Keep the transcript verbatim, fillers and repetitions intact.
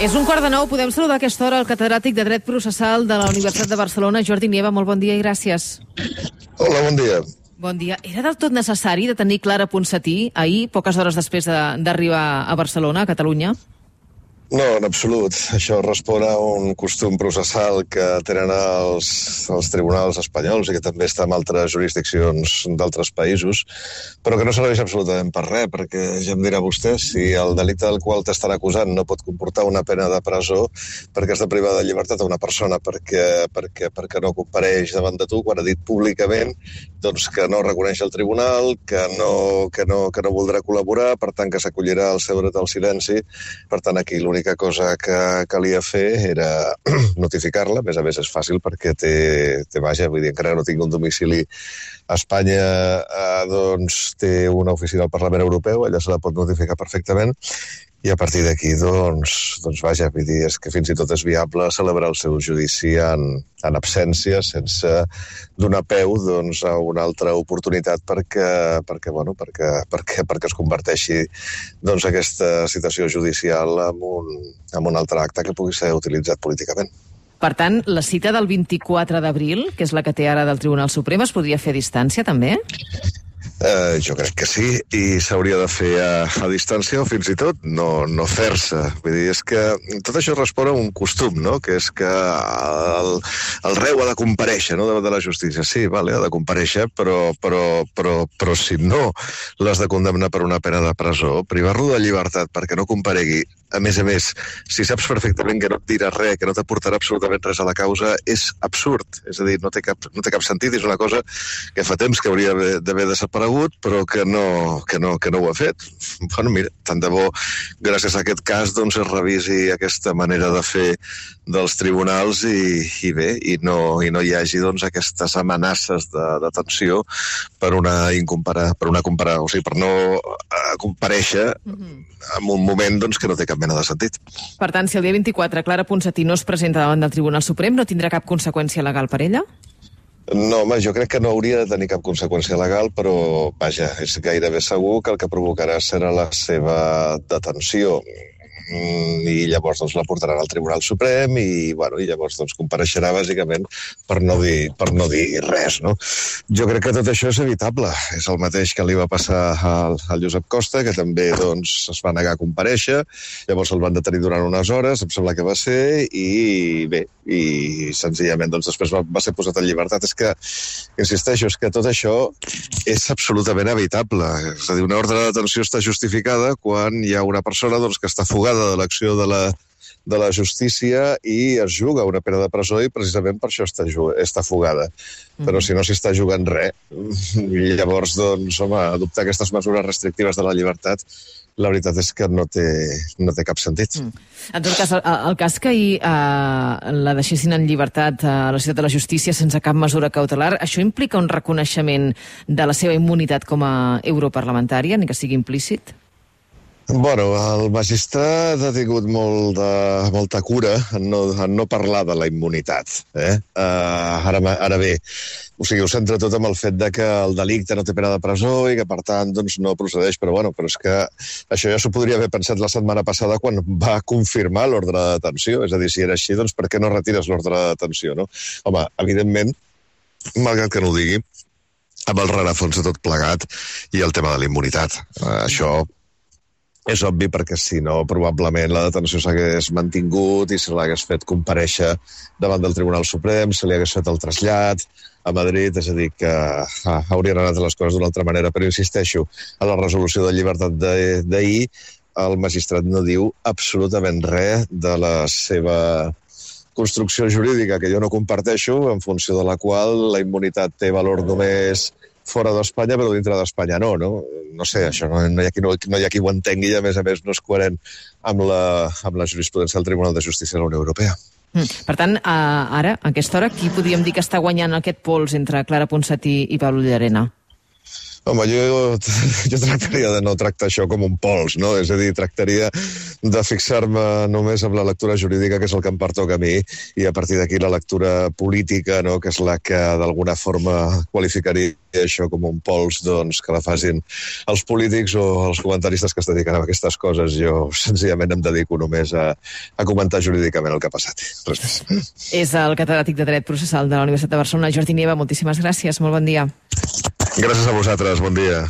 És un quart de nou. Podem saludar a aquesta hora el catedràtic de Dret Processal de la Universitat de Barcelona, Jordi Nieva. Molt bon dia i gràcies. Hola, bon dia. Bon dia. Era del tot necessari de tenir Clara Ponsatí ahir, poques hores després d'arribar a Barcelona, a Catalunya? No, en absolut. Això respon a un costum processal que tenen els, els tribunals espanyols i que també està en altres jurisdiccions d'altres països, però que no serveix absolutament per res, perquè ja em dirà vostè, si el delicte del qual t'estan acusant no pot comportar una pena de presó perquè has de privar de llibertat a una persona perquè, perquè, perquè no compareix davant de tu quan ha dit públicament doncs, que no reconeix el tribunal, que no, que, no, que no voldrà col·laborar, per tant que s'acollirà al seu dret al silenci. Per tant, aquí l'única cosa que calia fer era notificar-la. A més a més és fàcil perquè té, té vaja, vull dir, encara no tinc un domicili a Espanya, eh, doncs té una oficina al Parlament Europeu, allà se la pot notificar perfectament, i a partir d'aquí, doncs, doncs vaja, vull dir, és que fins i tot és viable celebrar el seu judici en, en absència, sense donar peu doncs, a una altra oportunitat perquè, perquè, bueno, perquè, perquè, perquè es converteixi doncs, aquesta citació judicial en un, en un altre acte que pugui ser utilitzat políticament. Per tant, la cita del vint-i-quatre d'abril, que és la que té ara del Tribunal Suprem, es podria fer a distància, també? Uh, jo crec que sí, i s'hauria de fer a, a distància o fins i tot no, no fer-se. Vull dir, és que tot això respon a un costum, no?, que és que el, el reu ha de comparèixer, no?, davant de la justícia. Sí, vale, ha de comparèixer, però, però, però, però si no l'has de condemnar per una pena de presó, privar-lo de llibertat perquè no comparegui, a més a més, si saps perfectament que no et dirà res, que no t'aportarà absolutament res a la causa, és absurd. És a dir, no té cap, no té cap sentit, és una cosa que fa temps que hauria d'haver desaparegut, però que no, que, no, que no ho ha fet. Bueno, mira, tant de bo, gràcies a aquest cas, doncs es revisi aquesta manera de fer dels tribunals i, i bé, i no, i no hi hagi doncs, aquestes amenaces de detenció per una incompara, per una compara, o sigui, per no uh, comparèixer mm-hmm. en un moment doncs, que no té cap mena de sentit. Per tant, si el dia vint-i-quatre Clara Ponsatí no es presenta davant del Tribunal Suprem, no tindrà cap conseqüència legal per ella? No, home, jo crec que no hauria de tenir cap conseqüència legal, però, vaja, és gairebé segur que el que provocarà serà la seva detenció. I llavors doncs, la portaran al Tribunal Suprem i, bueno, i llavors doncs, compareixerà bàsicament per no dir, per no dir res, no? Jo crec que tot això és evitable. És el mateix que li va passar al, al Josep Costa, que també doncs, es va negar a comparèixer, llavors el van detenir durant unes hores, em sembla que va ser, i bé, i senzillament doncs, després va, va ser posat en llibertat. És que, insisteixo, és que tot això és absolutament evitable. És a dir, una ordre de detenció està justificada quan hi ha una persona doncs, que està fugada de l'acció de la, de la justícia i es juga una pena de presó i precisament per això està, està fugada. Però si no s'hi està jugant res, i llavors, doncs, home, adoptar aquestes mesures restrictives de la llibertat, la veritat és que no té, no té cap sentit. Mm. En tot cas, el, el cas que ahir eh, la deixessin en llibertat a la ciutat de la justícia sense cap mesura cautelar, això implica un reconeixement de la seva immunitat com a europarlamentària, ni que sigui implícit? Bueno, el magistrat ha tingut molt de, molta cura en no, en no parlar de la immunitat. Eh? Uh, ara, ara bé, o sigui, ho centra tot amb el fet de que el delicte no té pena de presó i que, per tant, doncs, no procedeix. Però, bueno, però és que això ja s'ho podria haver pensat la setmana passada quan va confirmar l'ordre de detenció. És a dir, si era així, doncs per què no retires l'ordre de detenció, no? Home, evidentment, malgrat que no ho digui, amb el rerefons de tot plegat i el tema de la immunitat. Uh, això... És obvi perquè si no, probablement la detenció s'hagués mantingut i se l'hagués fet comparèixer davant del Tribunal Suprem, se li hagués fet el trasllat a Madrid, és a dir, que ah, haurien anat les coses d'una altra manera. Però insisteixo, a la resolució de llibertat d'ahir, el magistrat no diu absolutament res de la seva construcció jurídica, que jo no comparteixo, en funció de la qual la immunitat té valor només fora d'Espanya, però dintre d'Espanya no, no? No sé, això no, no, hi ha qui, no, no hi ha qui ho entengui i, a més a més, no és coherent amb la, amb la jurisprudència del Tribunal de Justícia de la Unió Europea. Mm. Per tant, uh, ara, a aquesta hora, qui podríem dir que està guanyant aquest pols entre Clara Ponsatí i Pablo Llarena? Home, jo, jo tractaria de no tractar això com un pols, no? És a dir, tractaria de fixar-me només amb la lectura jurídica, que és el que em pertoca a mi, i a partir d'aquí la lectura política, no?, que és la que d'alguna forma qualificaria això com un pols, doncs, que la facin els polítics o els comentaristes que es dediquen a aquestes coses. Jo senzillament em dedico només a, a comentar jurídicament el que ha passat. Res més. És el catedràtic de Dret Processal de la Universitat de Barcelona, Jordi Nieva. Moltíssimes gràcies, molt bon dia. Gràcies a vosaltres, bon dia.